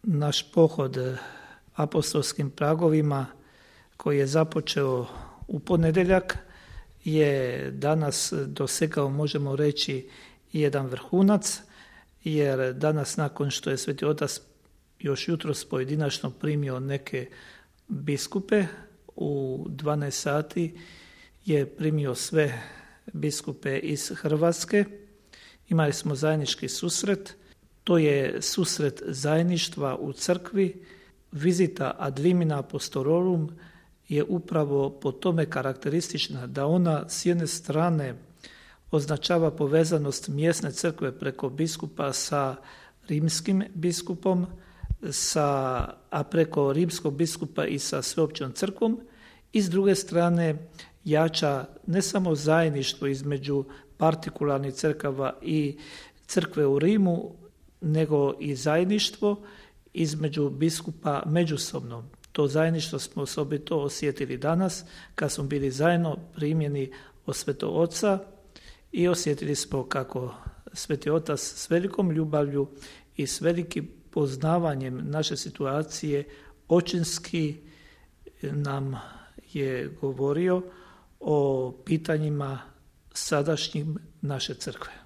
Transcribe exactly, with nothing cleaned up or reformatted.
naš pohod apostolskim pragovima koji je započeo u ponedjeljak je danas dosegao, možemo reći, jedan vrhunac, jer danas nakon što je Sveti Otac još jutros pojedinačno primio neke biskupe, u dvanaest sati je primio sve biskupe iz Hrvatske. Imali smo zajednički susret, to je susret zajedništva u crkvi. Vizita ad limina apostolorum je upravo po tome karakteristična da ona s jedne strane označava povezanost mjesne crkve preko biskupa sa rimskim biskupom, sa, a preko rimskog biskupa i sa sveopćom crkvom, i s druge strane jača ne samo zajedništvo između partikularnih crkava i crkve u Rimu, nego i zajedništvo između biskupa međusobno. To zajedništvo smo osobito osjetili danas kad smo bili zajedno primljeni od Svetog Oca i osjetili smo kako Sveti Otac s velikom ljubavlju i s velikim poznavanjem naše situacije očinski nam je govorio o pitanjima sadašnjim naše crkve.